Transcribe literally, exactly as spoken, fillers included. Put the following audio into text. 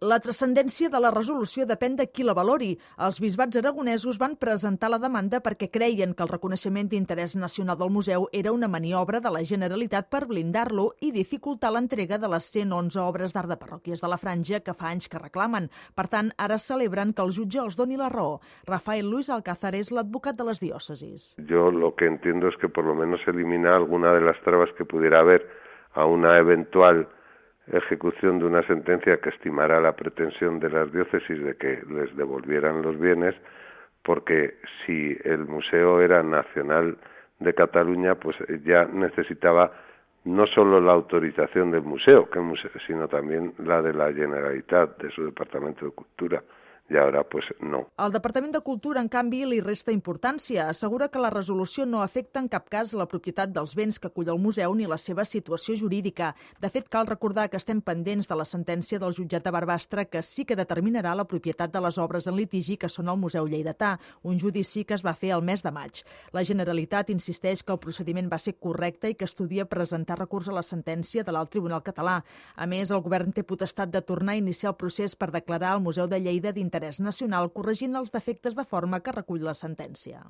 La transcendència de la resolució depèn de qui la valori. Els bisbats aragonesos van presentar la demanda perquè creien que el reconeixement d'interès nacional del museu era una maniobra de la Generalitat per blindar-lo i dificultar l'entrega de les cent onze obres d'art de parròquies de la Franja que fa anys que reclamen. Per tant, ara celebren que el jutge els doni la raó. Rafael Luis Alcázar és l'advocat de les diòcesis. Yo lo que entiendo es que por lo menos elimina alguna de las trabas que pudiera haber a una eventual ejecución de una sentencia que estimará la pretensión de las diócesis de que les devolvieran los bienes, porque si el museo era nacional de Cataluña, pues ya necesitaba no solo la autorización del museo, que museo sino también la de la Generalitat, de su Departamento de Cultura. I ara, pues, no. El Departament de Cultura, en canvi, li resta importància. Assegura que la resolució no afecta en cap cas la propietat dels béns que acull el museu ni la seva situació jurídica. De fet, cal recordar que estem pendents de la sentència del jutjat de Barbastre que sí que determinarà la propietat de les obres en litigi que són al Museu Lleidatà, un judici que es va fer el mes de maig. La Generalitat insisteix que el procediment va ser correcte i que estudia presentar recurs a la sentència de l'Alt Tribunal Català. A més, el govern té potestat de tornar a iniciar el procés per declarar el Museu de Lleida d'interès nacional, corregint els defectes de forma que recull la sentència.